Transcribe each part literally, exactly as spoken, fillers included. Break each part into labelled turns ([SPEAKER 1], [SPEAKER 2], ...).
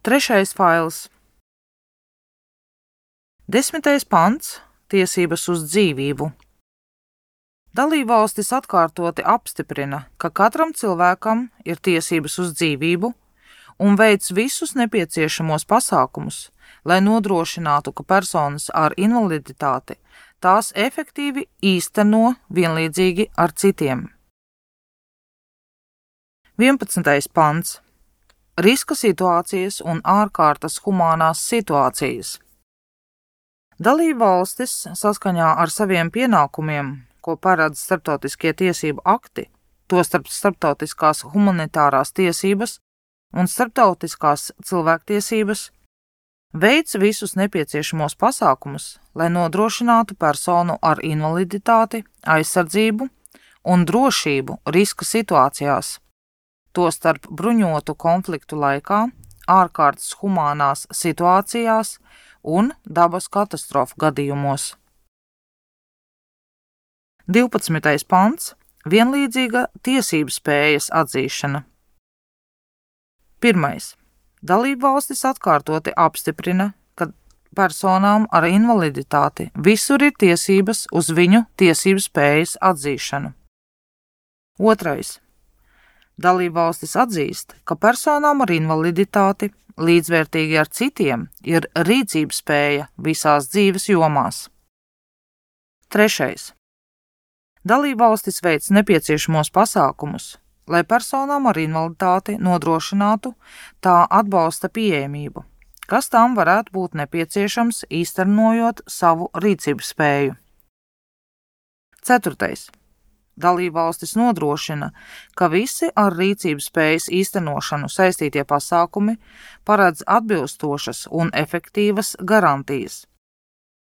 [SPEAKER 1] Trešais fails. Desmitais pants – tiesības uz dzīvību. Dalībvalstis atkārtoti apstiprina, ka katram cilvēkam ir tiesības uz dzīvību un veic visus nepieciešamos pasākumus, lai nodrošinātu, ka personas ar invaliditāti tās efektīvi īsteno vienlīdzīgi ar citiem. vienpadsmitais pants. Riska situācijas un ārkārtas humānās situācijas. Dalībvalstis saskaņā ar saviem pienākumiem, ko paredz starptautiskie tiesību akti, tostarp starptautiskās humanitārās tiesības un starptautiskās cilvēktiesības, veic visus nepieciešamos pasākumus, lai nodrošinātu personu ar invaliditāti, aizsardzību un drošību riska situācijās, tostarp bruņotu konfliktu laikā, ārkārtas humānās situācijās un dabas katastrofu gadījumos. divpadsmitais pants – vienlīdzīga tiesību spējas atzīšana. Pirmais. Dalībvalstis atkārtoti apstiprina, ka personām ar invaliditāti visur ir tiesības uz viņu tiesību spējas atzīšanu. Otrais. Dalībvalstis atzīst, ka personām ar invaliditāti līdzvērtīgi ar citiem ir rīcības spēja visās dzīves jomās. Trešais. Dalībvalstis veic nepieciešamos pasākumus, lai personām ar invaliditāti nodrošinātu tā atbalsta pieejamību, kas tām varētu būt nepieciešams īstenojot savu rīcības spēju. Ceturtais. Dalībvalstis nodrošina, ka visi ar rīcības spējas īstenošanu saistītie pasākumi paredz atbilstošas un efektīvas garantijas,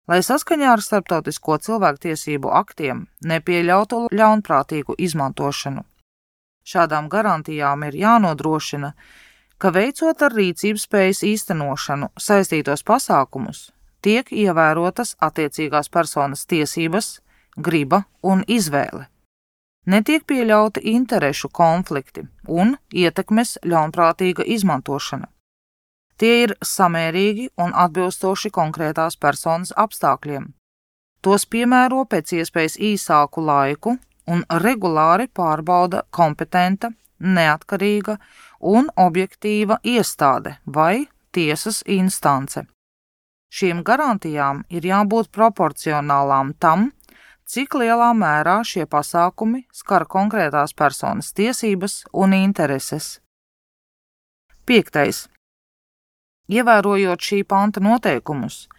[SPEAKER 1] lai saskaņā ar starptautisko cilvēktiesību aktiem nepieļautu ļaunprātīgu izmantošanu. Šādām garantijām ir jānodrošina, ka veicot ar rīcības spējas īstenošanu saistītos pasākumus, tiek ievērotas attiecīgās personas tiesības, griba un izvēle. Netiek pieļauti interešu konflikti un ietekmes ļaunprātīga izmantošana. Tie ir samērīgi un atbilstoši konkrētās personas apstākļiem. Tos piemēro pēc iespējas īsāku laiku un regulāri pārbauda kompetenta, neatkarīga un objektīva iestāde vai tiesas instance. Šīm garantijām ir jābūt proporcionālām tam, cik lielā mērā šie pasākumi skar konkrētās personas tiesības un intereses. Piektais. Ievērojot šī panta noteikumus,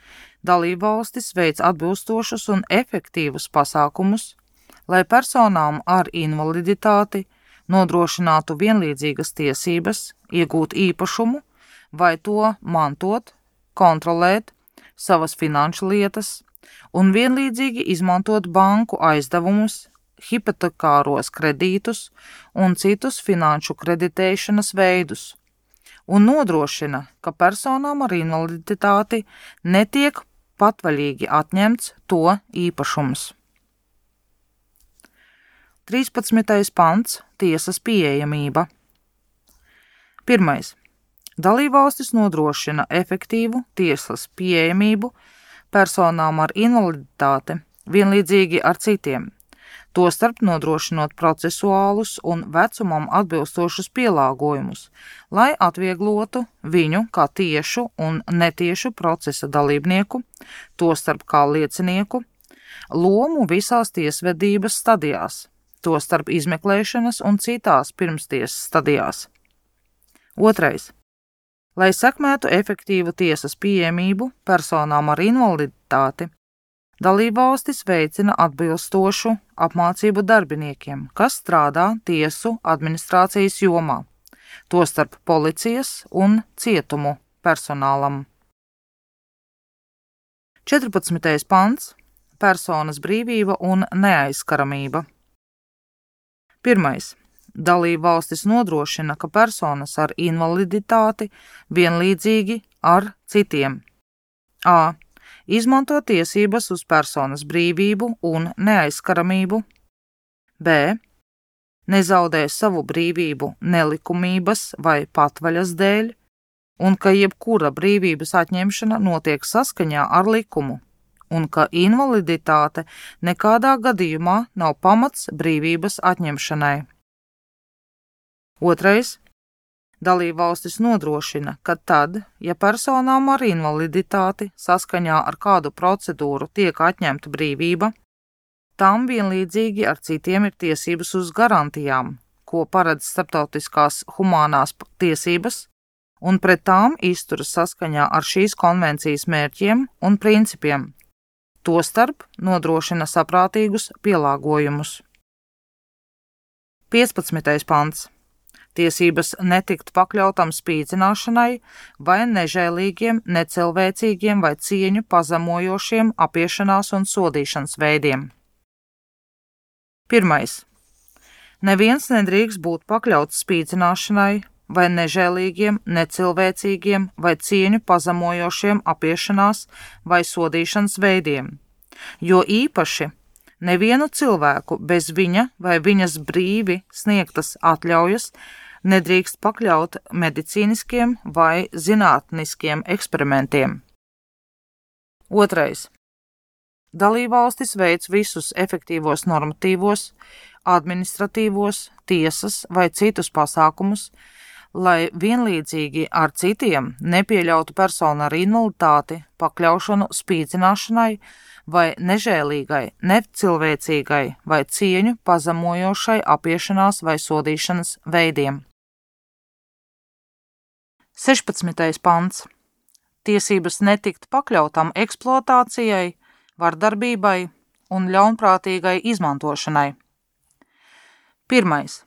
[SPEAKER 1] dalībvalstis veic atbilstošus un efektīvus pasākumus, lai personām ar invaliditāti nodrošinātu vienlīdzīgas tiesības, iegūt īpašumu vai to mantot, kontrolēt savas finanšu lietas un vienlīdzīgi izmantot banku aizdevumus, hipotekāros kredītus un citus finanšu kreditēšanas veidus, un nodrošina, ka personām ar invaliditāti netiek patvaļīgi atņemts to īpašums. trīspadsmitais pants – tiesas pieejamība. Pirmais. Dalībvalstis nodrošina efektīvu tiesas pieejamību personām ar invaliditāti vienlīdzīgi ar citiem, tostarp nodrošinot procesuālus un vecumam atbilstošus pielāgojumus, lai atvieglotu viņu kā tiešu un netiešu procesa dalībnieku, tostarp kā liecinieku, lomu visās tiesvedības stadijās, tostarp izmeklēšanas un citās pirmstiesas stadijās. Otrais. Lai sekmētu efektīvu tiesas pieejamību personām ar invaliditāti, dalībvalstis veicina atbilstošu apmācību darbiniekiem, kas strādā tiesu administrācijas jomā, tostarp policijas un cietumu personālam. četrpadsmitais pants – personas brīvība un neaizskaramība. Pirmais. Dalībvalstis nodrošina, ka personas ar invaliditāti vienlīdzīgi ar citiem a. Izmanto tiesības uz personas brīvību un neaizskaramību, b. Nezaudē savu brīvību nelikumības vai patvaļas dēļ, un ka jebkura brīvības atņemšana notiek saskaņā ar likumu, un ka invaliditāte nekādā gadījumā nav pamats brīvības atņemšanai. Otrais. Dalībvalstis nodrošina, ka tad, ja personām ar invaliditāti saskaņā ar kādu procedūru tiek atņemta brīvība, tām vienlīdzīgi ar citiem ir tiesības uz garantijām, ko paredz starptautiskās humānās tiesības, un pret tām izturas saskaņā ar šīs konvencijas mērķiem un principiem, tostarp nodrošina saprātīgus pielāgojumus. piecpadsmitais pants. Tiesības netikt pakļautam spīdzināšanai vai nežēlīgiem, necilvēcīgiem vai cieņu pazemojošiem apiešanās un sodīšanas veidiem. Pirmais. Neviens nedrīkst būt pakļauts spīdzināšanai vai nežēlīgiem, necilvēcīgiem vai cieņu pazemojošiem apiešanās vai sodīšanas veidiem, jo īpaši nevienu cilvēku bez viņa vai viņas brīvi sniegtas atļaujas nedrīkst pakļaut medicīniskiem vai zinātniskiem eksperimentiem. Otrais. Dalībvalstis veic visus efektīvos normatīvos, administratīvos, tiesas vai citus pasākumus, lai vienlīdzīgi ar citiem nepieļautu personu ar invaliditāti pakļaušanu spīdzināšanai vai nežēlīgai, necilvēcīgai vai cieņu pazemojošai apiešanās vai sodīšanas veidiem. sešpadsmitais pants. Tiesības netikt pakļautam eksploatācijai, vardarbībai un ļaunprātīgai izmantošanai. Pirmais.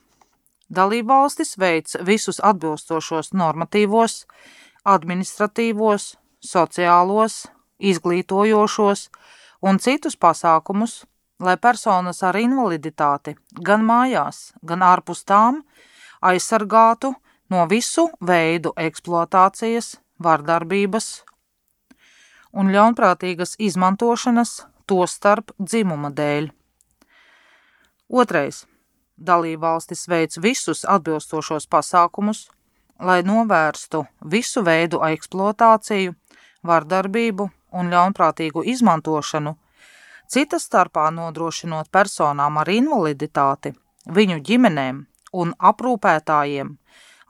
[SPEAKER 1] Dalībvalstis veic visus atbilstošos normatīvos, administratīvos, sociālos, izglītojošos un citus pasākumus, lai personas ar invaliditāti gan mājās, gan ārpus tām aizsargātu no visu veidu eksploatācijas, vardarbības un ļaunprātīgas izmantošanas, tostarp dzimuma dēļ. Otrais. Dalībvalstis veic visus atbilstošos pasākumus, lai novērstu visu veidu eksploatāciju, vardarbību un ļaunprātīgu izmantošanu, citas starpā nodrošinot personām ar invaliditāti, viņu ģimenēm un aprūpētājiem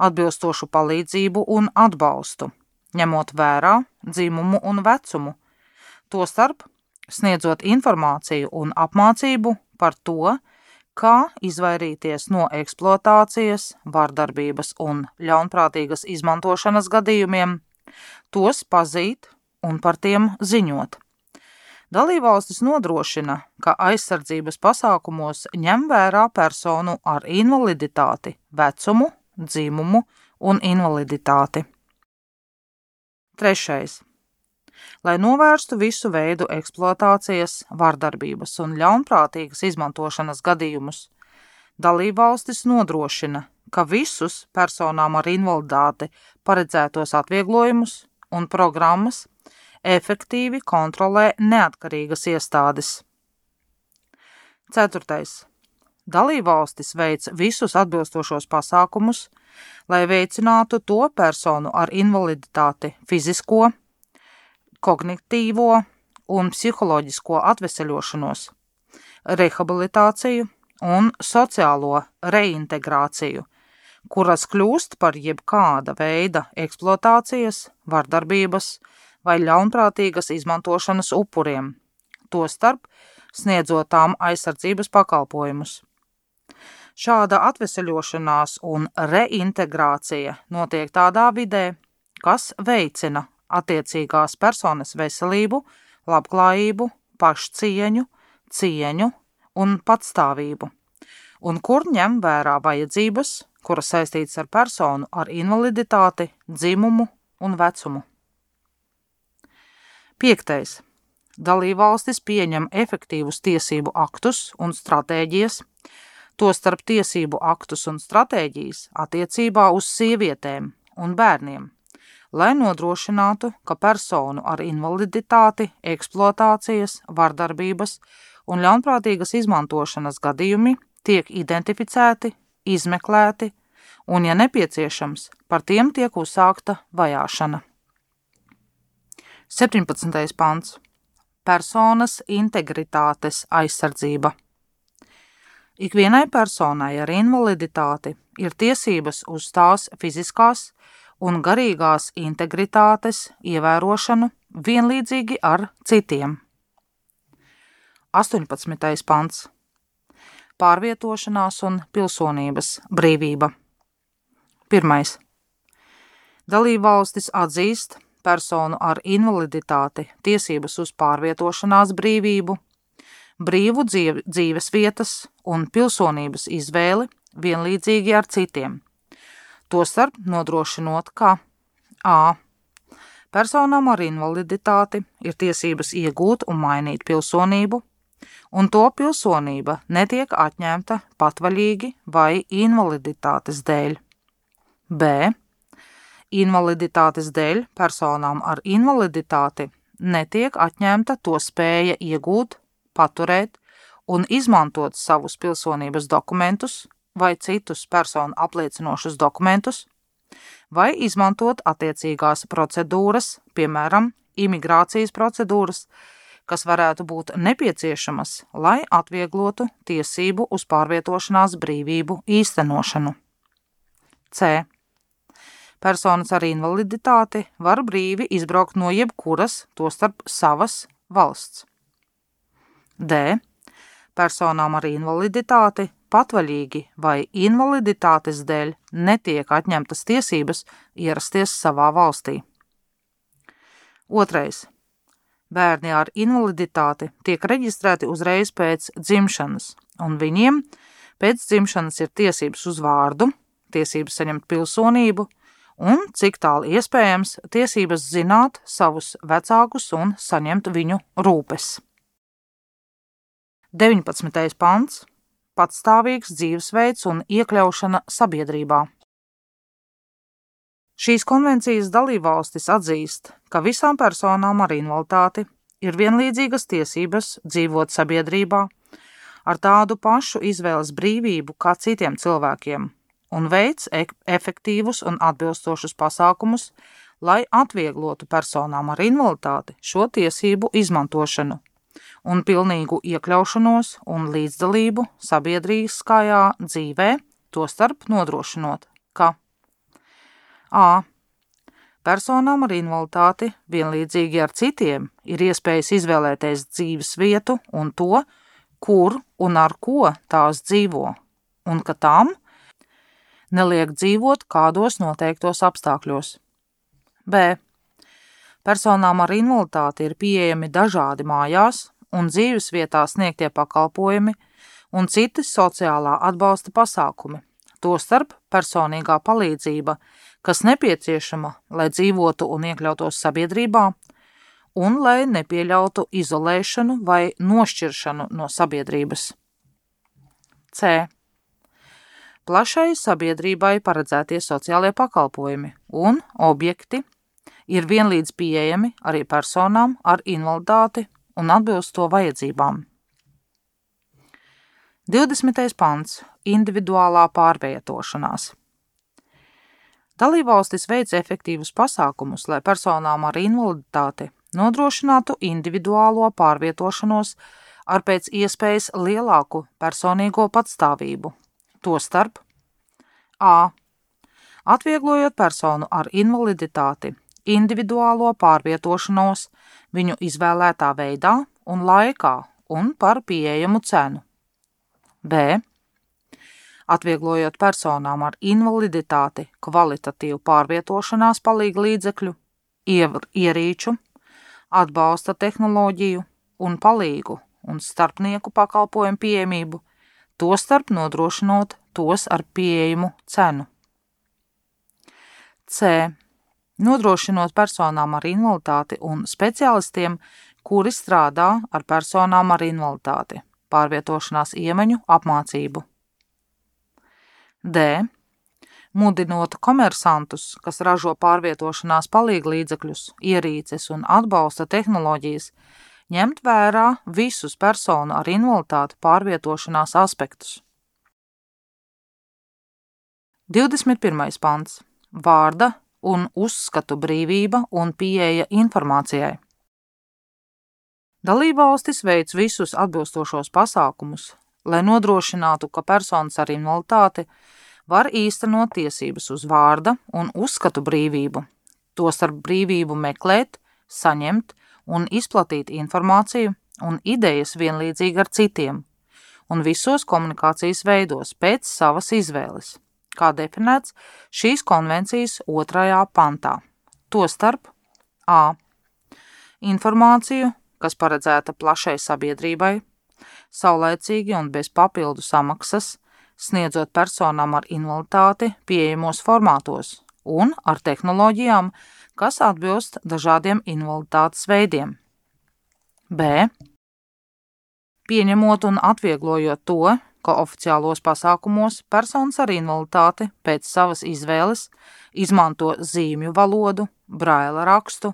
[SPEAKER 1] atbilstošu palīdzību un atbalstu, ņemot vērā dzimumu un vecumu, tostarp sniedzot informāciju un apmācību par to, kā izvairīties no eksploatācijas, vardarbības un ļaunprātīgas izmantošanas gadījumiem, tos pazīt un par tiem ziņot. Dalībvalstis nodrošina, ka aizsardzības pasākumos ņem vērā personu ar invaliditāti, vecumu, dzimumu un invaliditāti. Trešais. Lai novērstu visu veidu eksploatācijas, vardarbības un ļaunprātīgas izmantošanas gadījumus, dalībvalstis nodrošina, ka visus personām ar invaliditāti paredzētos atvieglojumus un programmas efektīvi kontrolē neatkarīgas iestādes. Ceturtais. Dalībvalstis veic visus atbilstošos pasākumus, lai veicinātu to personu ar invaliditāti fizisko, kognitīvo un psiholoģisko atveseļošanos, rehabilitāciju un sociālo reintegrāciju, kuras kļūst par jebkāda veida eksploatācijas, vardarbības vai ļaunprātīgas izmantošanas upuriem, tostarp sniedzot tām aizsardzības pakalpojumus. Šāda atveseļošanās un reintegrācija notiek tādā vidē, kas veicina attiecīgās personas veselību, labklājību, pašcieņu, cieņu un patstāvību, un kur ņem vērā vajadzības, kuras saistītas ar personu ar invaliditāti, dzimumu un vecumu. Piektais. Dalībvalstis pieņem efektīvus tiesību aktus un stratēģijas, tostarp tiesību aktus un stratēģijas attiecībā uz sievietēm un bērniem, lai nodrošinātu, ka personu ar invaliditāti, eksploatācijas, vardarbības un ļaunprātīgas izmantošanas gadījumi tiek identificēti, izmeklēti un, ja nepieciešams, par tiem tiek uzsākta vajāšana. septiņpadsmitais pants. Personas integritātes aizsardzība. Ikvienai personai ar invaliditāti ir tiesības uz tās fiziskās un garīgās integritātes ievērošanu vienlīdzīgi ar citiem. astoņpadsmitais pants. Pārvietošanās un pilsonības brīvība. Pirmais. Dalībvalstis atzīst personu ar invaliditāti tiesības uz pārvietošanās brīvību, brīvu dzīve, dzīves vietas un pilsonības izvēli vienlīdzīgi ar citiem. Tostarp nodrošinot, ka a. Personām ar invaliditāti ir tiesības iegūt un mainīt pilsonību, un to pilsonība netiek atņemta patvaļīgi vai invaliditātes dēļ. B. Invaliditātes dēļ personām ar invaliditāti netiek atņemta to spēja iegūt, paturēt un izmantot savus pilsonības dokumentus vai citus personu apliecinošus dokumentus, vai izmantot attiecīgās procedūras, piemēram, imigrācijas procedūras, kas varētu būt nepieciešamas, lai atvieglotu tiesību uz pārvietošanās brīvību īstenošanu. C. Personas ar invaliditāti var brīvi izbraukt no jebkuras, tostarp savas valsts. D. Personām ar invaliditāti patvaļīgi vai invaliditātes dēļ netiek atņemtas tiesības ierasties savā valstī. Otrais. Bērni ar invaliditāti tiek reģistrēti uzreiz pēc dzimšanas, un viņiem pēc dzimšanas ir tiesības uz vārdu, tiesības saņemt pilsonību un, cik tālu iespējams, tiesības zināt savus vecākus un saņemt viņu rūpes. deviņpadsmitais pants. Patstāvīgs dzīvesveids un iekļaušana sabiedrībā. Šīs konvencijas dalībvalstis atzīst, ka visām personām ar invaliditāti ir vienlīdzīgas tiesības dzīvot sabiedrībā ar tādu pašu izvēles brīvību kā citiem cilvēkiem un veic efektīvus un atbilstošus pasākumus, lai atvieglotu personām ar invaliditāti šo tiesību izmantošanu un pilnīgu iekļaušanos un līdzdalību sabiedrīskajā dzīvē, tostarp nodrošinot, ka a. Personām ar invaliditāti vienlīdzīgi ar citiem ir iespējas izvēlēties dzīves vietu un to, kur un ar ko tās dzīvo, un ka tām neliek dzīvot kādos noteiktos apstākļos. B. Personām ar invaliditāti ir pieejami dažādi mājās un dzīves vietā sniegtie pakalpojumi un citi sociālā atbalsta pasākumi, tostarp personīgā palīdzība, kas nepieciešama, lai dzīvotu un iekļautos sabiedrībā, un lai nepieļautu izolēšanu vai nošķiršanu no sabiedrības. C. Plašai sabiedrībai paredzētie sociālie pakalpojumi un objekti ir vienlīdz pieejami arī personām ar invaliditāti un atbilst to vajadzībām. divdesmitais pants. Individuālā pārvietošanās. Dalībvalstis veic efektīvus pasākumus, lai personām ar invaliditāti nodrošinātu individuālo pārvietošanos ar pēc iespējas lielāku personīgo patstāvību, tostarp a. Atvieglojot personu ar invaliditāti individuālo pārvietošanos viņu izvēlētā veidā un laikā un par pieejamu cenu. B. Atvieglojot personām ar invaliditāti kvalitatīvu pārvietošanās palīga līdzekļu, ierīču, atbalsta tehnoloģiju un palīgu un starpnieku pakalpojumu pieejamību, tostarp nodrošinot tos ar pieejamu cenu. C. Nodrošinot personām ar invaliditāti un speciālistiem, kuri strādā ar personām ar invaliditāti, pārvietošanās iemaņu apmācību. D. Mudinot komersantus, kas ražo pārvietošanās palīglīdzekļus, ierīces un atbalsta tehnoloģijas, ņemt vērā visus personu ar invaliditāti pārvietošanās aspektus. divdesmit pirmais pants. Vārda un uzskatu brīvība un pieeja informācijai. Dalībvalstis veic visus atbilstošos pasākumus, lai nodrošinātu, ka personas ar invaliditāti var īstenot tiesības uz vārda un uzskatu brīvību, tostarp brīvību meklēt, saņemt un izplatīt informāciju un idejas vienlīdzīgi ar citiem, un visos komunikācijas veidos pēc savas izvēles, kā definēts šīs konvencijas otrajā pantā. Tostarp a. Informāciju, kas paredzēta plašai sabiedrībai, saulaicīgi un bez papildu samaksas, sniedzot personām ar invaliditāti pieejamos formātos un ar tehnoloģijām, kas atbilst dažādiem invaliditātes veidiem. B. Pieņemot un atvieglojot to, ka oficiālos pasākumos personas ar invaliditāti pēc savas izvēles izmanto zīmju valodu, braila rakstu,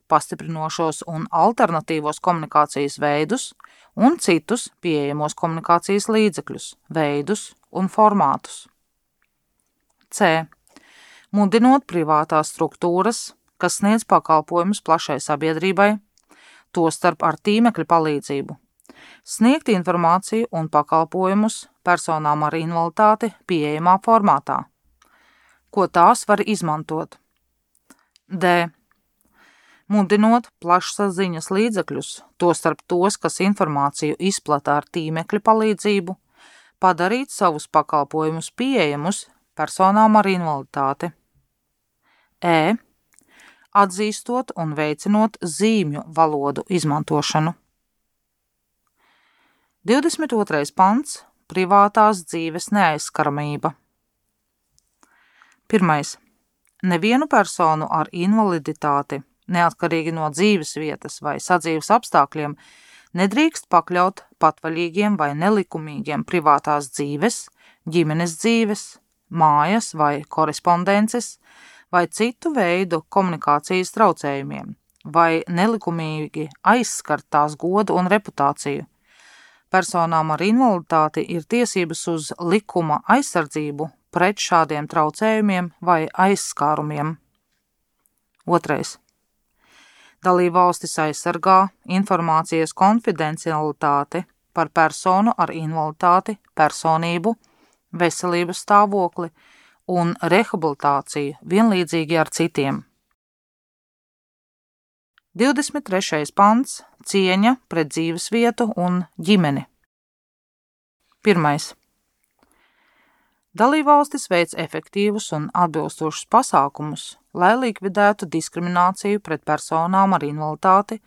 [SPEAKER 1] pastiprinošos un alternatīvos komunikācijas veidus un citus pieejamos komunikācijas līdzekļus, veidus un formātus. C. Mudinot privātās struktūras, kas sniedz pakalpojumus plašai sabiedrībai, tostarp ar tīmekļa palīdzību, sniegt informāciju un pakalpojumus personām ar invaliditāti pieejamā formātā, ko tās var izmantot. D. Mudinot plašsaziņas līdzekļus, tostarp tos, kas informāciju izplata ar tīmekļa palīdzību, padarīt savus pakalpojumus pieejamus personām ar invaliditāti. E. Atzīstot un veicinot zīmju valodu izmantošanu. divdesmit otrais pants. Privātās dzīves neaizskaramība. Pirmais. Nevienu personu ar invaliditāti, neatkarīgi no dzīves vietas vai sadzīves apstākļiem, nedrīkst pakļaut patvaļīgiem vai nelikumīgiem privātās dzīves, ģimenes dzīves, mājas vai korespondences, vai citu veidu komunikācijas traucējumiem, vai nelikumīgi aizskart tās godu un reputāciju. Personām ar invaliditāti ir tiesības uz likuma aizsardzību pret šādiem traucējumiem vai aizskārumiem. Otrais. Dalībvalstis aizsargā informācijas konfidencialitāti par personu ar invaliditāti, personību, veselības stāvokli un rehabilitāciju vienlīdzīgi ar citiem. divdesmit trešais pants. Cieņa pret dzīvesvietu un ģimeni. Pirmais. Dalībvalstis veic efektīvus un atbilstošus pasākumus, lai likvidētu diskrimināciju pret personām ar invaliditāti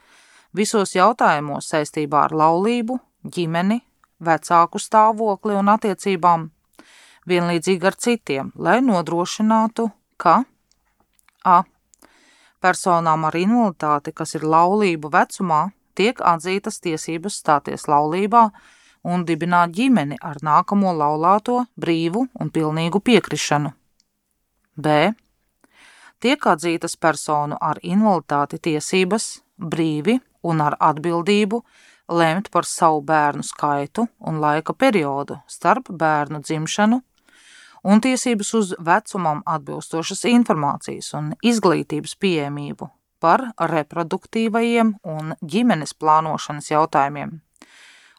[SPEAKER 1] visos jautājumos saistībā ar laulību, ģimeni, vecāku stāvokli un attiecībām, vienlīdzīgi ar citiem, lai nodrošinātu, ka a. personām ar invaliditāti, kas ir laulību vecumā, tiek atzītas tiesības stāties laulībā un dibināt ģimeni ar nākamo laulāto brīvu un pilnīgu piekrišanu. B. Tiek atzītas personu ar invaliditāti tiesības brīvi un ar atbildību lemt par savu bērnu skaitu un laika periodu starp bērnu dzimšanu un tiesības uz vecumam atbilstošas informācijas un izglītības pieejamību par reproduktīvajiem un ģimenes plānošanas jautājumiem,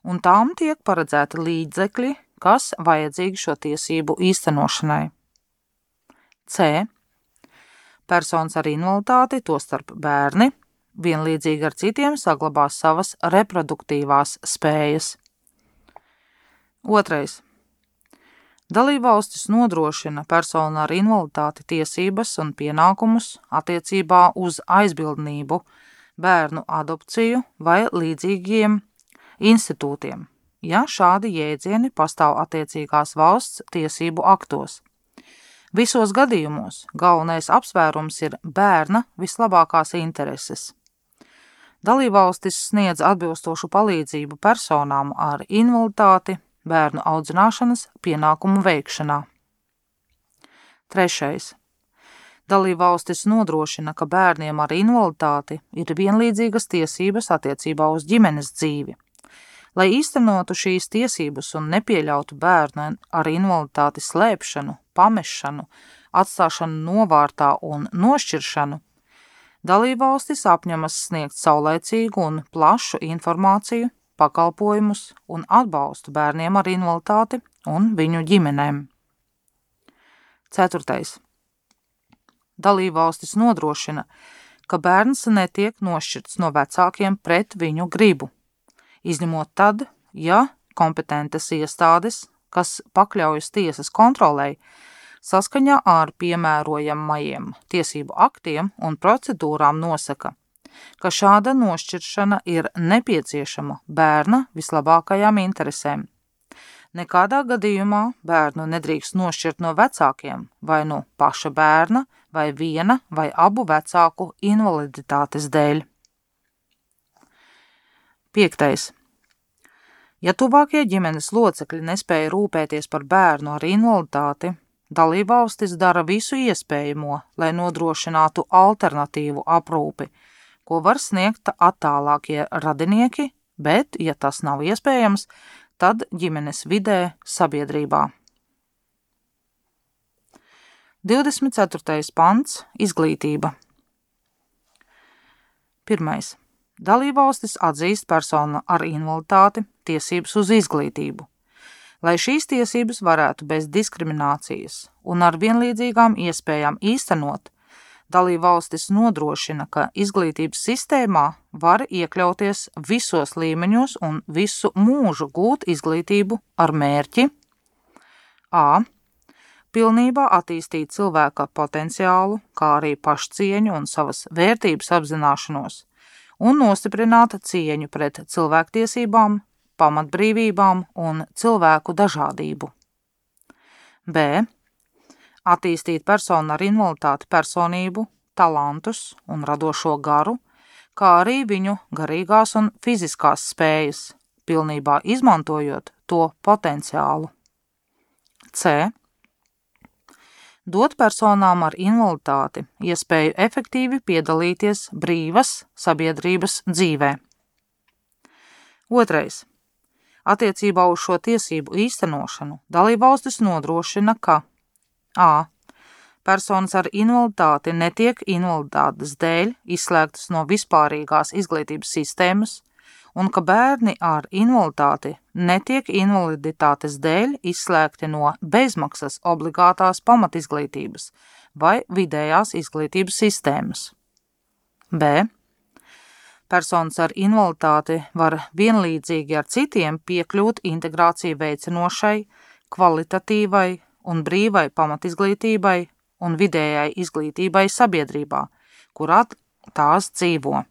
[SPEAKER 1] un tām tiek paredzēti līdzekļi, kas vajadzīgi šo tiesību īstenošanai. C. Personas ar invaliditāti, tostarp bērni, vienlīdzīgi ar citiem saglabās savas reproduktīvās spējas. Otrais. Dalībvalstis nodrošina personu ar invaliditāti tiesības un pienākumus attiecībā uz aizbildnību, bērnu adopciju vai līdzīgiem institūtiem, ja šādi jēdzieni pastāv attiecīgās valsts tiesību aktos. Visos gadījumos galvenais apsvērums ir bērna vislabākās intereses. Dalībvalstis sniedz atbilstošu palīdzību personām ar invaliditāti bērnu audzināšanas pienākumu veikšanā. Trešais. Dalībvalstis nodrošina, ka bērniem ar invaliditāti ir vienlīdzīgas tiesības attiecībā uz ģimenes dzīvi, Lai īstenotu šīs tiesības un nepieļautu bērnu ar invaliditāti slēpšanu, pamešanu, atstāšanu novārtā un nošķiršanu, dalībvalstis apņemas sniegt saulaicīgu un plašu informāciju, pakalpojumus un atbalstu bērniem ar invaliditāti un viņu ģimenēm. Ceturtais. Dalībvalstis nodrošina, ka bērns netiek nošķirts no vecākiem pret viņu gribu, izņemot tad, ja kompetentas iestādes, kas pakļaujas tiesas kontrolei, saskaņā ar piemērojamajiem tiesību aktiem un procedūrām nosaka, ka šāda nošķiršana ir nepieciešama bērna vislabākajām interesēm. Nekādā gadījumā bērnu nedrīkst nošķirt no vecākiem vai no paša bērna vai viena vai abu vecāku invaliditātes dēļ. Piektais. Ja tuvākie ģimenes locekļi nespēja rūpēties par bērnu ar invaliditāti, dalībvalstis dara visu iespējamo, lai nodrošinātu alternatīvu aprūpi, ko var sniegt attālākie radinieki, bet, ja tas nav iespējams, tad ģimenes vidē sabiedrībā. divdesmit ceturtais pants – izglītība. Pirmais. Dalībvalstis atzīst personu ar invaliditāti tiesības uz izglītību. Lai šīs tiesības varētu bez diskriminācijas un ar vienlīdzīgām iespējām īstenot, dalībvalstis nodrošina, ka izglītības sistēmā var iekļauties visos līmeņos un visu mūžu gūt izglītību ar mērķi a. Pilnībā attīstīt cilvēka potenciālu, kā arī pašcieņu un savas vērtības apzināšanos un nostiprināt cieņu pret cilvēktiesībām, pamatbrīvībām un cilvēku dažādību. b. Attīstīt personu ar invaliditāti personību, talantus un radošo garu, kā arī viņu garīgās un fiziskās spējas, pilnībā izmantojot to potenciālu. C. Dot personām ar invaliditāti iespēju efektīvi piedalīties brīvas sabiedrības dzīvē. Otrais. Attiecībā uz šo tiesību īstenošanu dalībvalstis nodrošina, ka a. Personas ar invaliditāti netiek invaliditātes dēļ izslēgtas no vispārīgās izglītības sistēmas un ka bērni ar invaliditāti netiek invaliditātes dēļ izslēgti no bezmaksas obligātās pamatizglītības vai vidējās izglītības sistēmas. b. Personas ar invaliditāti var vienlīdzīgi ar citiem piekļūt integrāciju veicinošai, kvalitatīvai un brīvai pamatizglītībai un vidējai izglītībai sabiedrībā, kurā tās dzīvo.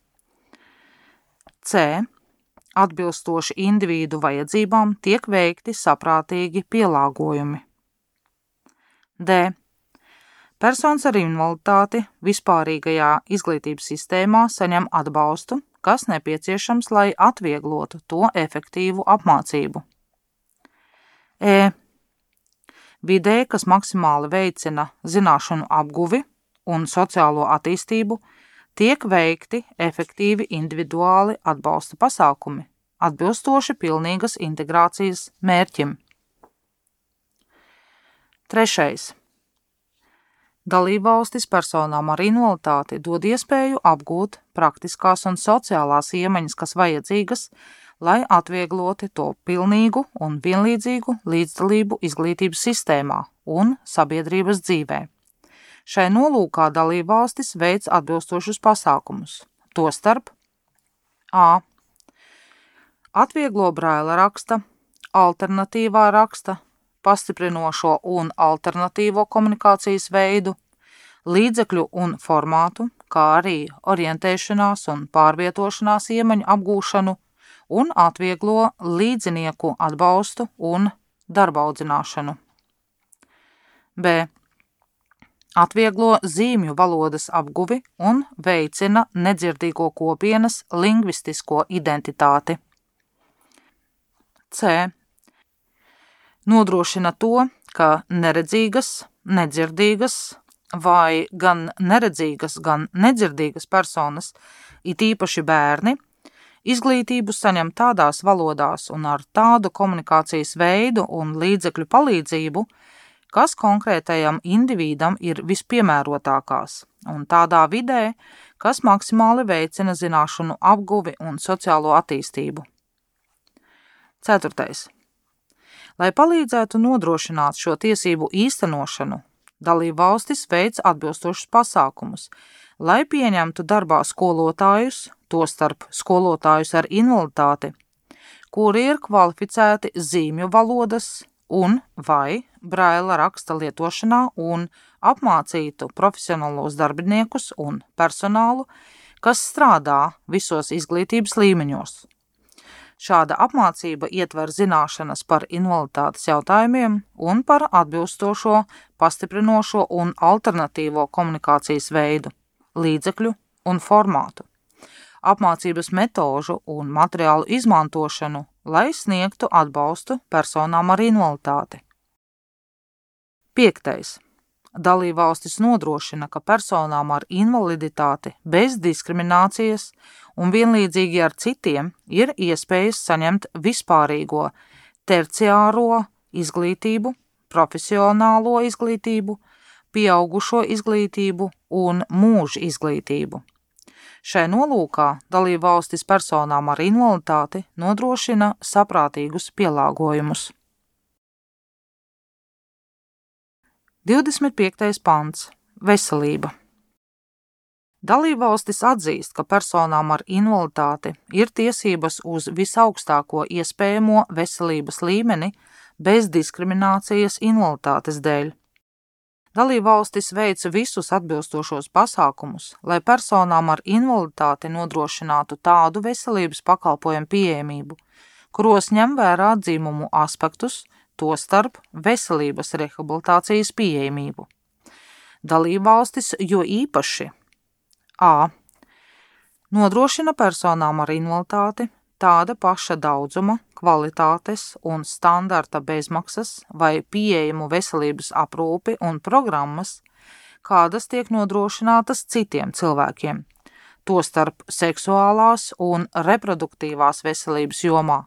[SPEAKER 1] C. Atbilstoši individu vajadzībām tiek veikti saprātīgi pielāgojumi. D. Personas ar invaliditāti vispārīgajā izglītības sistēmā saņem atbalstu, kas nepieciešams, lai atvieglotu to efektīvu apmācību. E. Vidē, kas maksimāli veicina zināšanu apguvi un sociālo attīstību, tiek veikti efektīvi individuāli atbalsta pasākumi, atbilstoši pilnīgas integrācijas mērķim. Trešais. Dalībvalstis personām ar invaliditāti dod iespēju apgūt praktiskās un sociālās iemaņas, kas vajadzīgas, lai atviegloti to pilnīgu un vienlīdzīgu līdzdalību izglītības sistēmā un sabiedrības dzīvē. Šai nolūkā dalībvalstis veic atbilstošus pasākumus, tostarp a. Atvieglo braila raksta, alternatīvā raksta, pastiprinošo un alternatīvo komunikācijas veidu, līdzekļu un formātu, kā arī orientēšanās un pārvietošanās iemaņu apgūšanu un atvieglo līdzinieku atbalstu un darbaudzināšanu. B. Atvieglo zīmju valodas apguvi un veicina nedzirdīgo kopienas lingvistisko identitāti. C. Nodrošina to, ka neredzīgas, nedzirdīgas vai gan neredzīgas, gan nedzirdīgas personas, it īpaši bērni, Izglītību saņem tādās valodās un ar tādu komunikācijas veidu un līdzekļu palīdzību, kas konkrētajam individam ir vispiemērotākās, un tādā vidē, kas maksimāli veicina zināšanu apguvi un sociālo attīstību. Ceturtais. Lai palīdzētu nodrošināt šo tiesību īstenošanu, dalībvalstis veic atbilstošus pasākumus, lai pieņemtu darbā skolotājus, tostarp skolotājus ar invaliditāti, kuri ir kvalificēti zīmju valodas un vai braila raksta lietošanā un apmācītu profesionālos darbiniekus un personālu, kas strādā visos izglītības līmeņos. Šāda apmācība ietver zināšanas par invaliditātes jautājumiem un par atbilstošo, pastiprinošo un alternatīvo komunikācijas veidu, līdzekļu un formātu, apmācības metožu un materiālu izmantošanu, lai sniegtu atbalstu personām ar invaliditāti. Piektais. Dalībvalstis nodrošina, ka personām ar invaliditāti bez diskriminācijas un vienlīdzīgi ar citiem ir iespējas saņemt vispārīgo terciāro izglītību, profesionālo izglītību, pieaugušo izglītību un mūža izglītību. Šai nolūkā dalībvalstis personām ar invaliditāti nodrošina saprātīgus pielāgojumus. divdesmit piektais pants. Veselība. Dalībvalstis atzīst, ka personām ar invaliditāti ir tiesības uz visaugstāko iespējamo veselības līmeni bez diskriminācijas invaliditātes dēļ. Dalībvalstis veic visus atbilstošos pasākumus, lai personām ar invaliditāti nodrošinātu tādu veselības pakalpojumu pieejamību, kuros ņem vērā dzimumu aspektus, tostarp veselības rehabilitācijas pieejamību. Dalībvalstis jo īpaši a. nodrošina personām ar invaliditāti tāda paša daudzuma, kvalitātes un standarta bezmaksas vai pieejamu veselības aprūpi un programmas, kādas tiek nodrošinātas citiem cilvēkiem, tostarp seksuālās un reproduktīvās veselības jomā,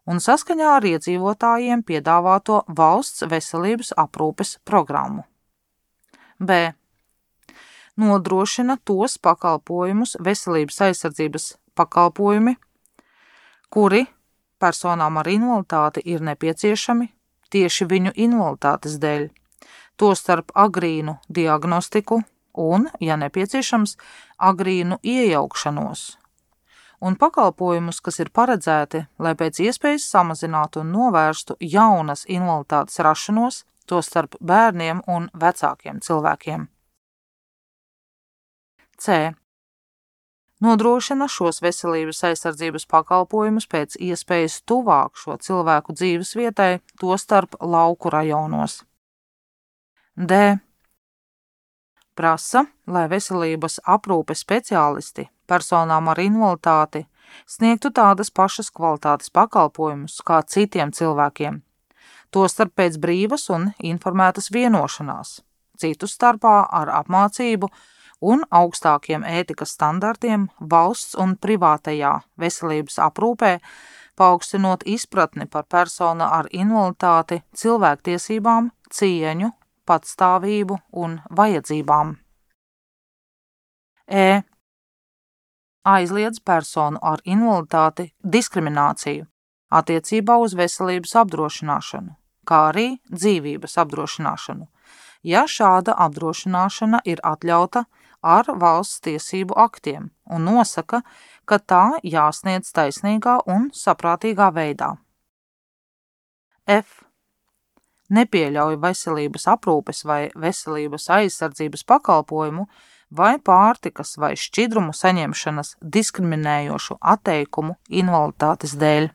[SPEAKER 1] un saskaņā ar iedzīvotājiem piedāvāto valsts veselības aprūpes programmu. B. Nodrošina tos pakalpojumus veselības aizsardzības pakalpojumi, kuri personām ar invaliditāti ir nepieciešami tieši viņu invaliditātes dēļ, tostarp agrīnu diagnostiku un, ja nepieciešams, agrīnu iejaukšanos, un pakalpojumus, kas ir paredzēti, lai pēc iespējas samazinātu un novērstu jaunas invaliditātes rašanos, tostarp bērniem un vecākiem cilvēkiem. C. Nodrošina šos veselības aizsardzības pakalpojumus pēc iespējas tuvāk šo cilvēku dzīves vietai, tostarp lauku rajonos. D. Prasa, lai veselības aprūpes speciālisti personām ar invaliditāti sniegtu tādas pašas kvalitātes pakalpojumus kā citiem cilvēkiem, tostarp pēc brīvas un informētas vienošanās, citu starpā ar apmācību un augstākiem ētikas standartiem valsts un privātajā veselības aprūpē, paaugstinot izpratni par personu ar invaliditāti, cilvēktiesībām, cieņu, patstāvību un vajadzībām. E. Aizliedz personu ar invaliditāti diskrimināciju attiecībā uz veselības apdrošināšanu, kā arī dzīvības apdrošināšanu, ja šāda apdrošināšana ir atļauta ar valsts tiesību aktiem un nosaka, ka tā jāsniedz taisnīgā un saprātīgā veidā. F. Nepieļauj veselības aprūpes vai veselības aizsardzības pakalpojumu vai pārtikas vai šķidrumu saņemšanas diskriminējošu atteikumu invaliditātes dēļ.